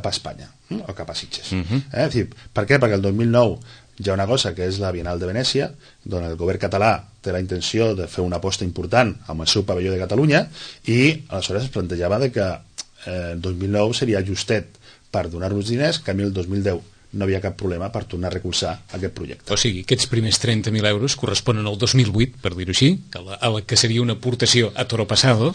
Espanya, o cap a Sitges. És dir, per què? Perquè el 2009 hi ha una cosa que és la Bienal de Venècia, on el govern català té la intenció de fer una aposta important amb el seu pavelló de Catalunya, i aleshores es plantejava que el 2009 seria justet per donar-nos diners, que a mi el 2010 no havia cap problema per tornar a recolzar aquest projecte. O sigui, aquests primers 30.000 euros corresponen al 2008, per dir-ho així, a la que seria una aportació a toro passado,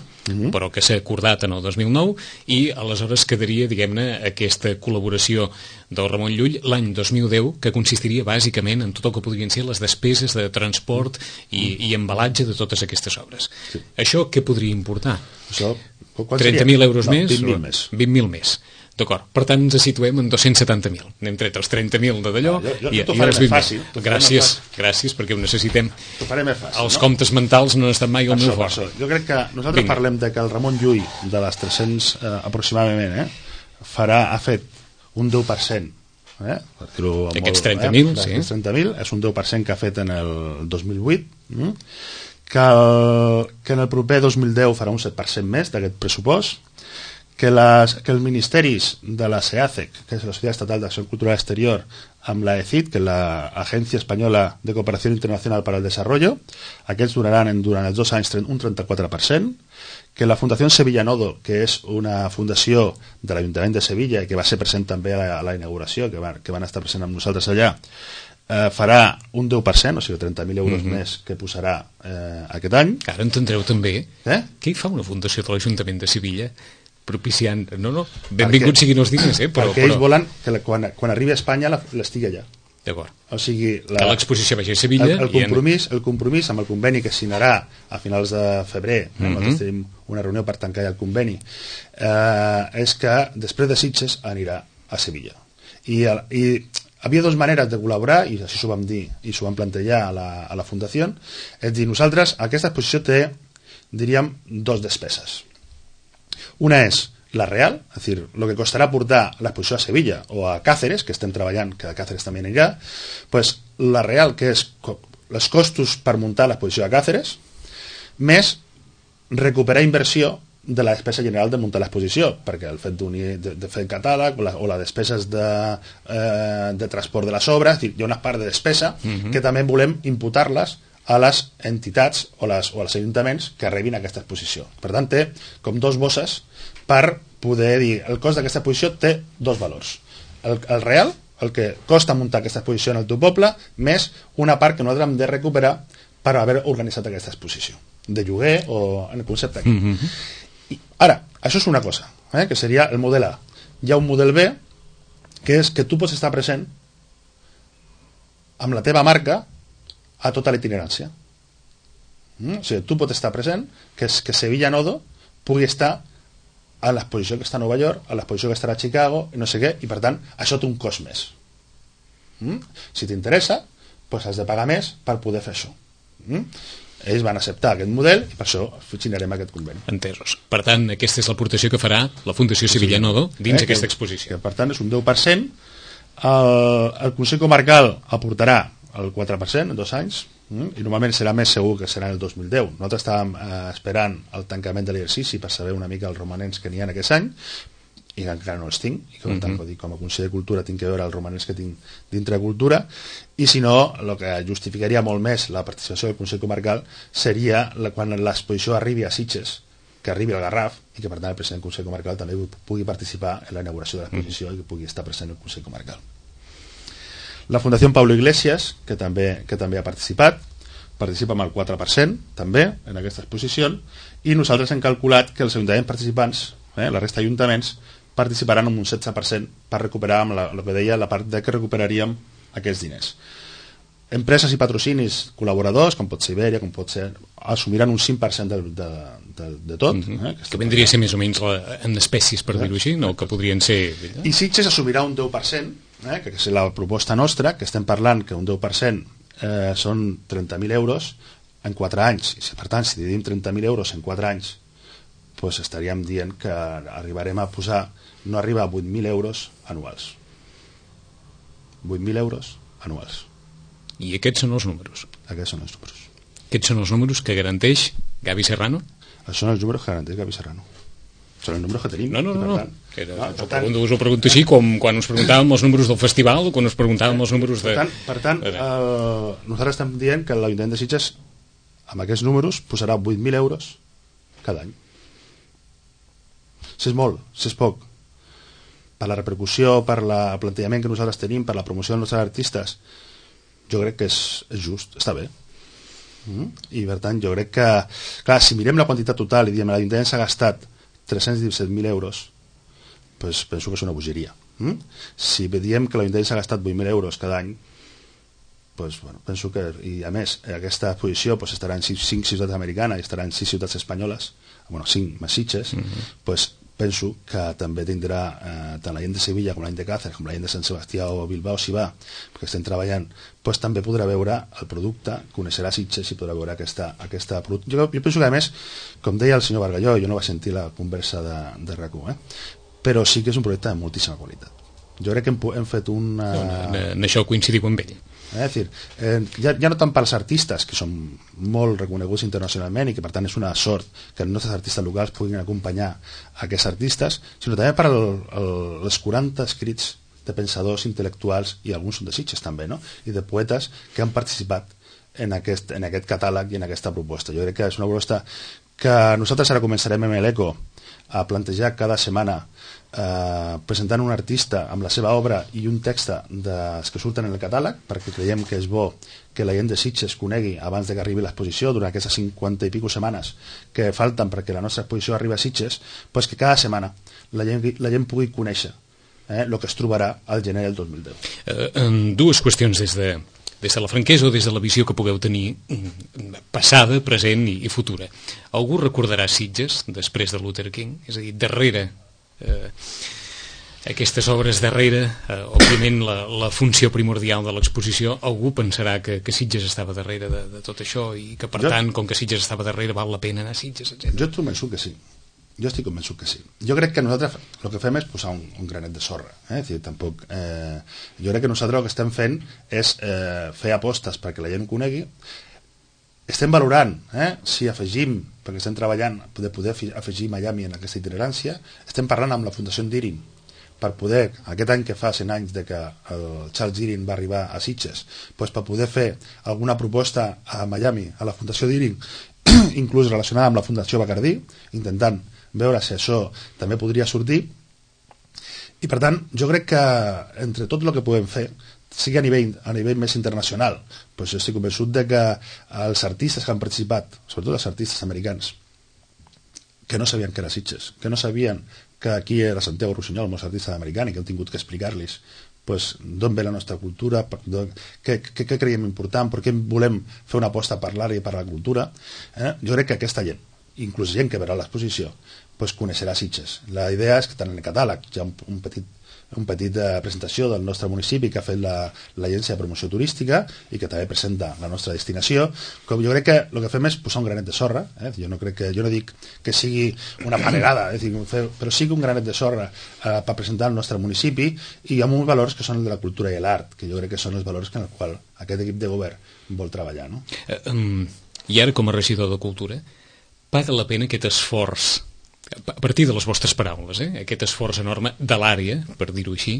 però que s'ha acordat en el 2009, i aleshores quedaria, diguem-ne, aquesta col·laboració del Ramon Llull l'any 2010, que consistiria bàsicament en tot el que podrien ser les despeses de transport i embalatge de totes aquestes obres. Sí. Això què podria importar? Això, 30.000 euros més? 20.000 més. 20.000 més. D'acord, per tant ens situem en 270.000. N'hem tret els 30.000 de d'allò i els 20.000. Gràcies, perquè ho necessitem. T'ho faré més fàcil. Els comptes mentals no han estat mai el meu fort. Jo crec que nosaltres parlem de que el Ramon Llull, de les 300 aproximadament, ha fet un 10%. Aquests 30.000, sí. Aquests 30.000 és un 10% que ha fet en el 2008, que en el proper 2010 farà un 7% més d'aquest pressupost, que els ministeris de la SEACEC, que és la Societat Estatal d'Acció Cultural Exterior, amb la ECID, que és l'Agència Espanyola de Cooperació Internacional per al Desarrollo, aquests donaran durant els 2 anys un 34%, que la Fundació Sevilla Nodo, que és una fundació de l'Ajuntament de Sevilla, que va ser present també a la inauguració, que van estar present amb nosaltres allà, farà un 10%, o sigui 30.000 euros més que posarà aquest any. Ara entendreu també què fa una fundació de l'Ajuntament de Sevilla propiciant, benvinguts siguin els diners, perquè ells volen que quan arribi a Espanya l'estigui allà. D'acord. O sigui, l'exposició vagi a Sevilla. El compromís amb el conveni que signarà a finals de febrer, nosaltres tenim una reunió per tancar ja el conveni, és que després de Sitges anirà a Sevilla. I havia 2 maneres de col·laborar, i així s'ho vam dir i s'ho vam plantejar a la Fundació, és dir, nosaltres, aquesta exposició té, diríem, 2 despeses. Una és la real, és dir, el que costarà portar l'exposició a Sevilla o a Cáceres, que estem treballant, que a Cáceres també anirà, pues, la real, que és els costos per muntar l'exposició a Cáceres, més recuperar inversió de la despesa general de muntar l'exposició, perquè el fet de fer el catàleg o les despeses de transport de les obres, hi ha una part de despesa que també volem imputar-les a les entitats o als ajuntaments que rebin aquesta exposició. Per tant, té com 2 bosses per poder dir el cost d'aquesta exposició té 2 valors. El real, el que costa muntar aquesta exposició en el teu poble, més una part que nosaltres hem de recuperar per haver organitzat aquesta exposició, de lloguer o en el concepte aquí. Ara, això és una cosa, que seria el model A. Hi ha un model B, que és que tu pots estar present amb la teva marca a tota la itinerància. O sigui, tu pots estar present, que Sevilla Nodo pugui estar a l'exposició que està a Nova York, a l'exposició que estarà a Chicago, i no sé què, i per tant, això té un cost més. Si t'interessa, doncs has de pagar més per poder fer això. Ells van acceptar aquest model i per això signarem aquest conveni. Entesos. Per tant, aquesta és l'aportació que farà la Fundació Sevilla Nodo dins aquesta exposició. Per tant, és un 10%. El Consell Comarcal aportarà el 4% en 2 anys, I normalment serà més segur que serà el 2010. Nosaltres estàvem esperant el tancament de l'exercici per saber una mica els romanents que n'hi ha aquest any, i encara no els tinc, i per tant, com a conseller de Cultura tinc que veure els romanents que tinc dintre de Cultura, i si no, el que justificaria molt més la participació del Consell Comarcal seria quan l'exposició arribi a Sitges, que arribi al Garraf, i que per tant el president del Consell Comarcal també pugui participar en la inauguració de l'exposició i que pugui estar present el Consell Comarcal. La Fundació Pablo Iglesias, que també ha participat, participa amb el 4% també en aquesta exposició, i nosaltres hem calculat que els ajuntaments participants, la resta d'ajuntaments, participaran amb un 16% per recuperar, amb el que deia, la part de que recuperaríem aquests diners. Empreses i patrocinis col·laboradors, com pot ser Iberia, com pot ser, assumiran un 5% de tot. Que vendria a ser més o menys en espècies, per dir-ho així, no? Que podrien ser... I Sitges assumirà un 10%, que és la proposta nostra, que estem parlant que un 10% són 30.000 euros en 4 anys. I per tant, si dividim 30.000 euros en 4 anys, doncs estaríem dient que arribarem a posar, no arriba a 8.000 euros anuals. 8.000 euros anuals. I aquests són els números? Aquests són els números. Aquests són els números que garanteix Gavi Serrano? Són els números que garanteix Gavi Serrano. Són els números que tenim. No. Us ho pregunto així, com quan us preguntàvem els números del festival o quan us preguntàvem els números de... Per tant, nosaltres estem dient que l'Ajuntament de Sitges, amb aquests números, posarà 8.000 euros cada any. Si és molt, si és poc, per la repercussió, per el plantejament que nosaltres tenim, per la promoció dels nostres artistes, jo crec que és just, està bé. I per tant, jo crec que, clar, si mirem la quantitat total i diem l'Ajuntament s'ha gastat 317.000 euros, doncs penso que és una bogeria. Si diem que l'Ajuntament s'ha gastat 8.000 euros cada any, doncs, bueno, penso que, i a més, aquesta exposició estarà en 5 ciutats americanes i estarà en 6 ciutats espanyoles, 5 més Sitges, doncs penso que també tindrà tant la gent de Sevilla com la gent de Càceres com la gent de Sant Sebastià o Bilbao, si va, perquè estem treballant, doncs també podrà veure el producte, coneixerà Sitges i podrà veure aquesta producte. Jo penso que, a més, com deia el senyor Bargalló, jo no vaig sentir la conversa de RAC1, però sí que és un projecte de moltíssima qualitat. Jo crec que hem fet una... En això coincidim amb ell. És dir, ja no tant pels artistes, que són molt reconeguts internacionalment i que per tant és una sort que els nostres artistes locals puguin acompanyar aquests artistes, sinó també per els 40 escrits de pensadors intel·lectuals, i alguns són de Sitges també, no? I de poetes que han participat en aquest catàleg i en aquesta proposta. Jo crec que és una proposta que nosaltres ara començarem amb l'ECO a plantejar cada setmana, presentant un artista amb la seva obra i un text dels que surten en el catàleg, perquè creiem que és bo que la gent de Sitges conegui abans de que arribi l'exposició, durant aquestes 50 i pico setmanes que falten perquè la nostra exposició arribi a Sitges, doncs que cada setmana la gent pugui conèixer el que es trobarà al gener del 2010. Dues qüestions des de la franquesa o des de la visió que pugueu tenir passada, present i futura. Algú recordarà Sitges després de Luther King? És a dir, darrere aquestes obres, darrere òbviament la funció primordial de l'exposició, algú pensarà que Sitges estava darrere de tot això i que per tant, com que Sitges estava darrere, val la pena anar a Sitges, etc. Jo estic convençut que sí. Jo crec que nosaltres el que fem és posar un granet de sorra, és dir, tampoc jo crec que nosaltres el que estem fent és fer apostes perquè la gent ho conegui. Estem valorant si afegim, perquè estem treballant de poder afegir Miami en aquesta itinerància. Estem parlant amb la Fundació Dirin per poder, aquest any que fa 100 anys de que el Charles Dirin va arribar a Sitges, doncs per poder fer alguna proposta a Miami, a la Fundació Dirin, inclús relacionada amb la Fundació Bacardí, intentant veure si això també podria sortir. I per tant, jo crec que entre tot el que podem fer, sigui a nivell més internacional, doncs estic convençut de que els artistes que han participat, sobretot els artistes americans, que no sabien que era Sitges, que no sabien que aquí era Santiago Rossinyol, molts artistes americans, i que hem tingut que explicar-los d'on ve la nostra cultura, què creiem important, per què volem fer una aposta per l'art i per la cultura. Jo crec que aquesta gent, inclús gent que verà l'exposició, coneixerà Sitges. La idea és que tant en el catàleg hi ha un petit una petita presentació del nostre municipi que ha fet l'Agència de Promoció Turística i que també presenta la nostra destinació. Com jo crec que el que fem és posar un granet de sorra, jo no dic que sigui una panegada, però sí que un granet de sorra per presentar el nostre municipi i amb uns valors que són el de la cultura i l'art, que jo crec que són els valors en els quals aquest equip de govern vol treballar, no? I ara, com a regidor de Cultura, paga la pena aquest esforç, a partir de les vostres paraules, aquest esforç enorme de l'àrea, per dir-ho així,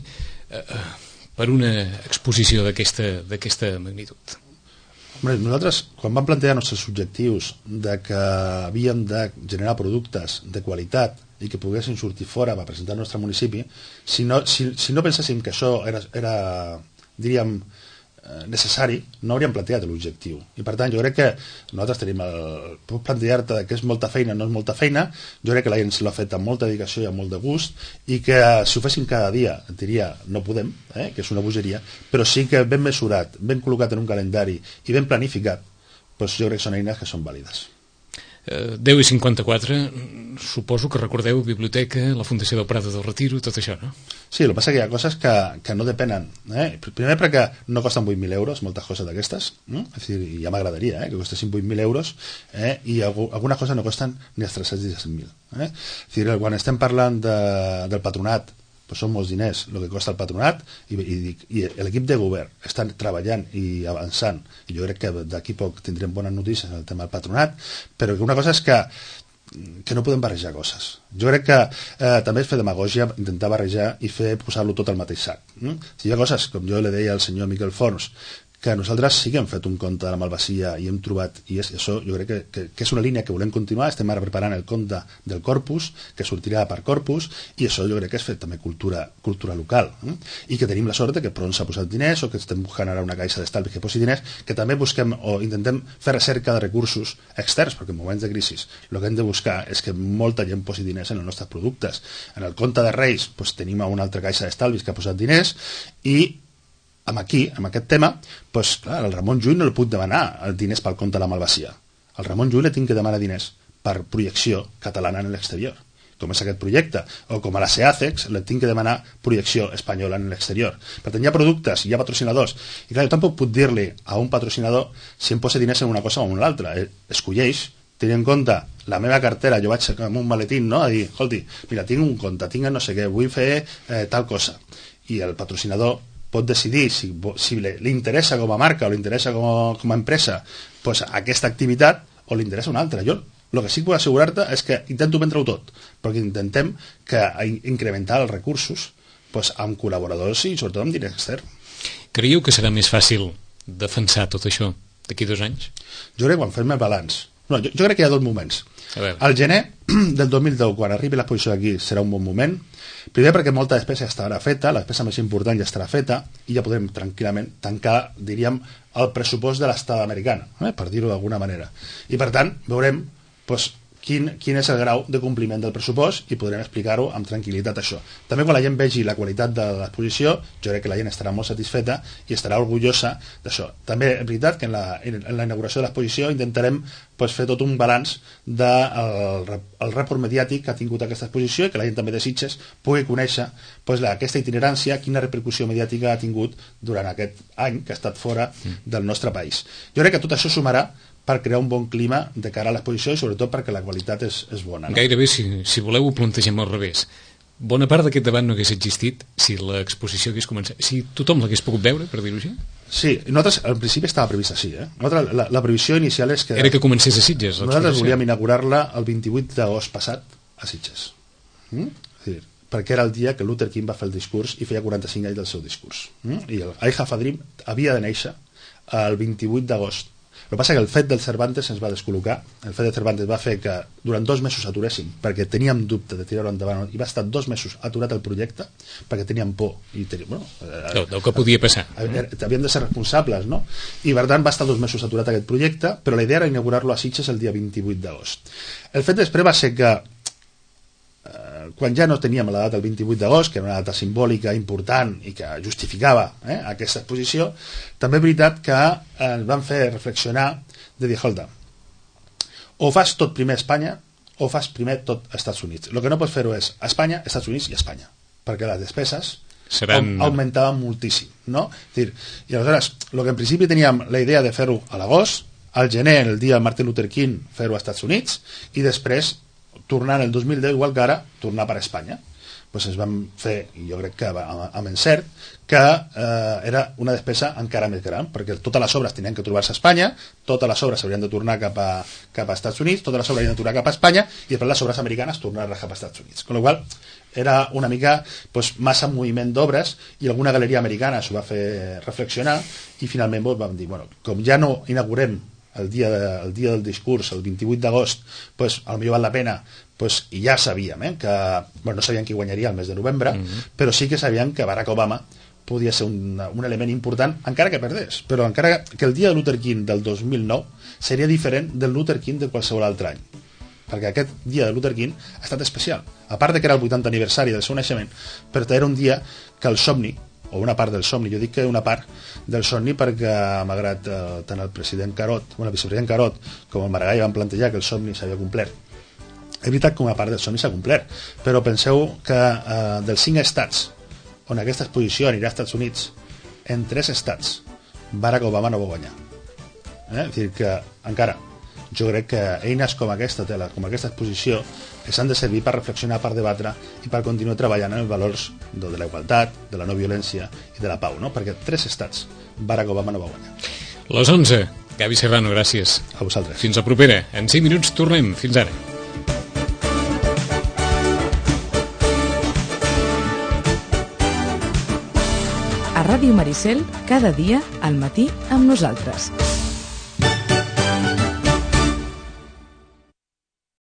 per una exposició d'aquesta magnitud? Hombre, nosaltres, quan vam plantejar els nostres objectius de que havíem de generar productes de qualitat i que poguessin sortir fora per presentar el nostre municipi, si no penséssim que això era diríem, necessari, no hauríem plantejat l'objectiu. I per tant, jo crec que nosaltres tenim puc plantejar-te que és molta feina, no és molta feina, jo crec que la gent se l'ha fet amb molta dedicació i amb molt de gust, i que si ho féssim cada dia, et diria, no podem, que és una bogeria, però sí que ben mesurat, ben col·locat en un calendari i ben planificat, doncs jo crec que són eines que són vàlides. 10:54, suposo que recordeu biblioteca, la Fundació del Prado del Retiro, tot això, no? Sí, el que passa que hi ha coses que no depenen. Primer perquè no costen 8.000 euros, moltes coses d'aquestes, és dir, ja m'agradaria que costessin 8.000 euros, i algunes coses no costen ni els 317.000. És dir, quan estem parlant del patronat, doncs són molts diners el que costa el patronat i l'equip de govern estan treballant i avançant, i jo crec que d'aquí poc tindrem bones notícies en el tema del patronat, però que una cosa és que no podem barrejar coses. Jo crec que també és fer demagògia intentar barrejar i posar-lo tot al mateix sac. Si hi ha coses, com jo le deia al senyor Miquel Forns, que nosaltres sí que hem fet un conte de la malvasia i hem trobat, i això jo crec que és una línia que volem continuar. Estem ara preparant el conte del Corpus, que sortirà per Corpus, i això jo crec que és fet també cultura local, i que tenim la sort que Pron s'ha posat diners, o que estem buscant ara una caixa d'estalvi que posi diners, que també busquem o intentem fer recerca de recursos externs, perquè en moments de crisi el que hem de buscar és que molta gent posi diners en els nostres productes. En el conte de Reis tenim una altra caixa d'estalvis que ha posat diners, i amb aquest tema, doncs, clar, el Ramon Llull no li puc demanar diners pel conte de la malvasia. Al Ramon Llull li tinc que demanar diners per projecció catalana en l'exterior, com és aquest projecte, o com a la SEACEX li tinc que demanar projecció espanyola en l'exterior. Per tant, hi ha productes, hi ha patrocinadors, i clar, jo tampoc puc dir-li a un patrocinador si em posa diners en una cosa o en l'altra. Escolleix, tenint en compte la meva cartera, jo vaig amb un maletín, no?, a dir, escolti, mira, tinc un compte, tinc no sé què, vull fer tal cosa, i el patrocinador pot decidir si li interessa com a marca o li interessa com a empresa doncs aquesta activitat o li interessa una altra. Jo el que sí que puc assegurar-te és que intento vendre-ho tot, perquè intentem incrementar els recursos doncs, amb col·laboradors i sobretot amb diner extern. Creieu que serà més fàcil defensar tot això d'aquí 2 anys? Jo crec que quan fem el balanç, jo crec que hi ha 2 moments. Al gener del 2010, quan arribi l'exposició aquí, serà un bon moment. Primer perquè molta despesa ja estarà feta, la despesa més important ja estarà feta, i ja podrem tranquil·lament tancar, diríem, el pressupost de l'estada americana, per dir-ho d'alguna manera. I per tant, veurem quin és el grau de compliment del pressupost i podrem explicar-ho amb tranquil·litat, això. També quan la gent vegi la qualitat de l'exposició, jo crec que la gent estarà molt satisfeta i estarà orgullosa d'això. També és veritat que en la inauguració de l'exposició intentarem fer tot un balanç del report mediàtic que ha tingut aquesta exposició i que la gent també de Sitges pugui conèixer aquesta itinerància, quina repercussió mediàtica ha tingut durant aquest any que ha estat fora del nostre país. Jo crec que tot això sumarà per crear un bon clima de cara a l'exposició i sobretot perquè la qualitat és bona. Gairebé, si voleu, ho plantegem al revés. Bona part d'aquest debat no hagués existit si l'exposició hagués començat, si tothom l'hagués pogut veure, per dir-ho així? Sí, nosaltres al principi estava previst així. La previsió inicial és que... Era que comencés a Sitges. Nosaltres volíem inaugurar-la el 28 d'agost passat a Sitges. Perquè era el dia que Luther King va fer el discurs i feia 45 anys del seu discurs. I el I Have a Dream havia de néixer el 28 d'agost. El que passa que el fet del Cervantes ens va descol·locar. El fet del Cervantes va fer que durant 2 mesos aturéssim, perquè teníem dubte de tirar-ho endavant, i va estar 2 mesos aturat el projecte perquè teníem por del que podia passar. Havíem de ser responsables, no? I per tant va estar 2 mesos aturat aquest projecte, però la idea era inaugurar-lo a Sitges el dia 28 d'agost. El fet després va ser que quan ja no teníem la data del 28 d'agost, que era una data simbòlica important i que justificava aquesta exposició, també és veritat que ens van fer reflexionar de dir, escolta, o fas tot primer a Espanya o fas primer tot als Estats Units. El que no pots fer-ho és a Espanya, Estats Units i Espanya, perquè les despeses augmentava moltíssim, no? I aleshores, el que en principi teníem la idea de fer-ho a l'agost, al gener, el dia de Martin Luther King, fer-ho als Estats Units, i després, tornar el 2010, igual que ara, tornar per a Espanya. Pues es van fer, i jo crec que amb encert, que era una despesa encara més gran, perquè totes les obres tenien que trobar-se a Espanya, totes les obres s'haurien de tornar cap a Estats Units, totes les obres haurien de tornar cap a Espanya, i després les obres americanes tornar-les cap a Estats Units. Con la qual era una mica massa moviment d'obres, i alguna galeria americana s'ho va fer reflexionar, i finalment vam dir, bueno, com ja no inaugurem el dia del discurs, el 28 d'agost, potser val la pena, i ja sabíem que no sabíem qui guanyaria el mes de novembre, però sí que sabíem que Barack Obama podia ser un element important, encara que perdés, però encara que el dia de Luther King del 2009 seria diferent del Luther King de qualsevol altre any, perquè aquest dia de Luther King ha estat especial, a part que era el 80 aniversari del seu naixement, però era un dia que el somni, o una part del somni, jo dic que una part del somni perquè malgrat tant el vicepresident Carot com el Maragall van plantejar que el somni s'havia complert, és veritat que una part del somni s'ha complert, però penseu que dels 5 estats on aquesta exposició anirà als Estats Units, en 3 estats Barack Obama no va guanyar. És dir que encara jo crec que eines com aquesta exposició s'han de servir per reflexionar, per debatre i per continuar treballant en els valors de la igualtat, de la no violència i de la pau, no? Perquè 3 estats Barack Obama no va guanyar. Les 11. Gavi Serrano, gràcies. A vosaltres. Fins la propera. En 5 minuts tornem. Fins ara. A Ràdio Maricel, cada dia al matí amb nosaltres.